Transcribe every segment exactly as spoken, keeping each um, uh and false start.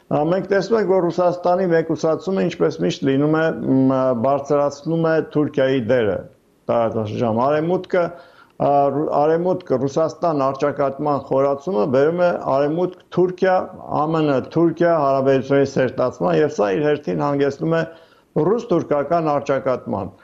Մենք տեսնում ենք, որ Ռուսաստանի մեկուսացումը ինչպես միշտ լինում է բարձրացնում է Թուրքիայի դերը տարածաշրջանում։ Արևմուտքը Արևմուտքը Ռուսաստան առճակատման խորացումը բերում է Արևմուտք Թուրքիա, ԱՄՆ Թուրքիա հարաբերությունների սերտացման եւ սա իր հերթին հանգեցնում է ռուս-թուրքական առճակատման։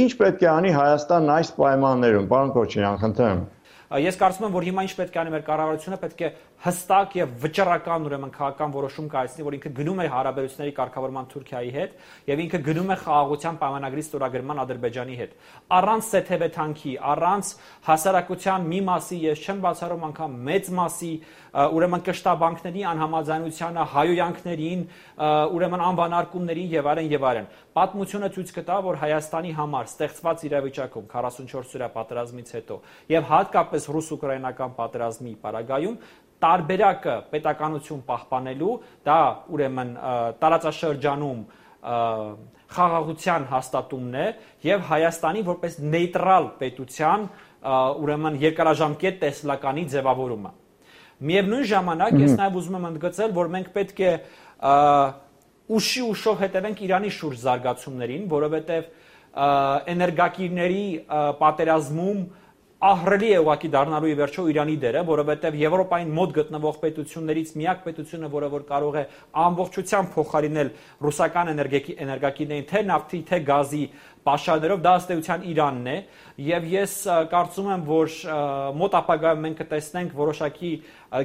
Ինչ պետք է անի Հայաստանն այս պայմաններում, պարոն Քոչարյան, խնդրեմ։ Ես կարծում եմ, որ հիմա ինչ պետք է անի մեր կառավարությունը, պետք է հստակ եւ վճռական ուրեմն քաղաքական որոշում կայացնի, որ ինքը գնում է հարաբերությունների կարգավորման Թուրքիայի հետ եւ ինքը գնում է խաղաղության պայմանագրի ստորագրման Ադրբեջանի հետ։ Առանց սեթեվեթանքի, առանց հասարակության մի մասի, ես չեմ բացառում անգամ մեծ մասի, ուրեմն կշտաբանքների անհամաձայնությանը, հայոյանքներին, ուրեմն անվանարկումներին եւ այլն եւ այլն։ Պատմությունը ցույց կտա, որ Հայաստանի համար ստեղծված իրավիճակում քառասունչորս օրյա պատերազմից հետո եւ հատկապես ռուս-ուկրաինական պատերազմի պարագայում տարբերակը պետականություն պահպանելու, դա ուրեմն տարածաշրջանում խաղաղության հաստատումն է եւ Հայաստանի որպես նեյտրալ պետության ուրեմն երկարաժամկետ տեսլականի ձևավորումը։ Միևնույն ժամանակ ես նաեւ ուզում եմ ընդգծել, որ մենք պետք է ուշի ուշով հետևենք Իրանի շուրջ զարգացումներին, որովհետեւ էներգակիրների պատերազմում ահռելի է ուղղակի դառնալու ի վերջո Իրանի դերը, որովհետև Եվրոպային մոտ գտնվող պետություններից միակ պետությունը, որը որ կարող է ամբողջությամբ փոխարինել ռուսական էներգակիրներին թե նավթի, թե գազի պաշարներով, դա ըստ էության Իրանն է, եւ ես կարծում եմ, որ մոտ ապագայում մենք կտեսնենք որոշակի,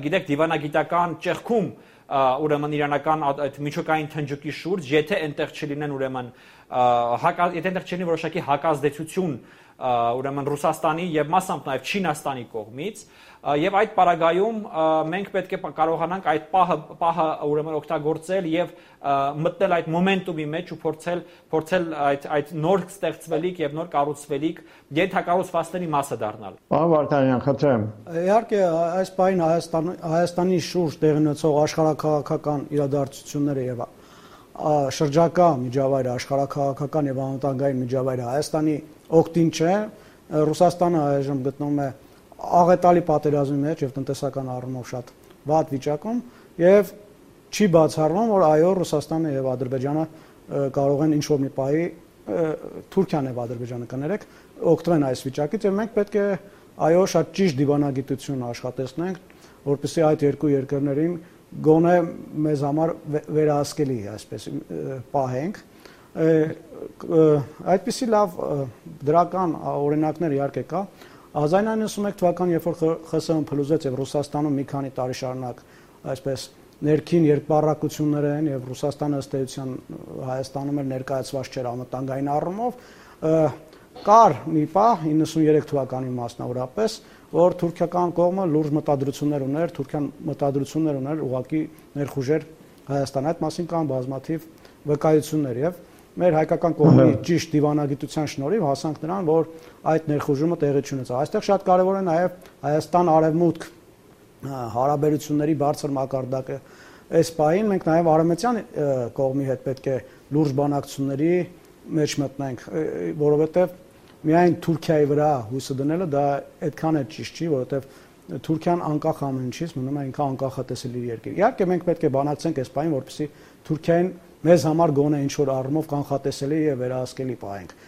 գիտեք, դիվանագիտական ճեղքում ուրեմն իրանական այդ միջուկային թնջուկի շուրջ, եթե այնտեղ չլինեն ուրեմն եթե այնտեղ չլինի որոշակի հակազդեցություն ուրեմն Ռուսաստանի եւ մասամբ նաեւ Չինաստանի կողմից եւ այդ պարագայում մենք պետք է կարողանանք այդ պահը պահը ուրեմն օգտագործել եւ մտնել այդ մոմենտումի մեջ ու փորձել փորձել այդ այդ նոր ստեղծվելիք եւ նոր կառուցվելիք ենթակառուցվածքների մասը դառնալ։ Պարոն Վարդանյան, խնդրեմ։ Իհարկե այս պահին Հայաստան Հայաստանի շուրջ տեղի ունեցող աշխարհաքաղաքական իրադարձությունները եւ շրջակա միջավայրը, աշխարհաքաղաքական եւ անվտանգային միջավայրը Հայաստանի օգտին չէ, Ռուսաստանը այժմ գտնվում է աղետալի պատերազմի մեջ եւ տնտեսական առումով շատ վատ վիճակում եւ չի բացառվում, որ այո Ռուսաստանը եւ Ադրբեջանը կարող են ինչ-որ մի պահի Թուրքիան եւ Ադրբեջանը կներեք օգտվեն այս վիճակից եւ մենք պետք է այո շատ ճիշտ դիվանագիտություն աշխատեցնենք, որպեսզի այդ երկու երկրներին գոնե մեզ համար վերահսկելի այսպես պահենք։ Այդպիսի լավ դրական օրինակներ իհարկե կա։ հազար իննսուն նվաթ թվականին, երբ որ ԽՍՀՄ փլուզեց եւ Ռուսաստանում մի քանի տարի շարունակ այսպես ներքին երկպառակություններ են եւ Ռուսաստանը ըստ էության Հայաստանում էր ներկայացված չէր անվտանգային առումով, կար մի պահ իննսուներեք թվականին մասնավորապես, որ թուրքական կողմը լուրջ մտադրություններ ուներ, Թուրքիան մտադրություններ ուներ ուղղակի ներխուժեր Հայաստան, այդ մասին կան բազմաթիվ վկայություններ եւ մեր հայկական կողմի ճիշտ դիվանագիտության շնորհիվ հասանք նրան, որ այդ ներխուժումը տեղի չունեցավ։ Այստեղ շատ կարևոր է նաեւ Հայաստան-Արևմուտք հարաբերությունների բարձր մակարդակը։ Այս պահին մենք նաեւ արևմտյան կողմի հետ պետք է լուրջ բանակցությունների մեջ մտնենք, որովհետեւ միայն Թուրքիայի վրա հույսը դնելը դա այդքան է ճիշտ չի, որովհետեւ Թուրքիան անկախ ամեն ինչից մնում է ինքը անկախատեսելի երկիր։ Իհարկե մենք պետք է բանակցենք այս պահին, որպեսզի Թուրքիային մեզ համար գոնե ինչ որ առումով կանխատեսելի եւ վերահսկելի պահենք։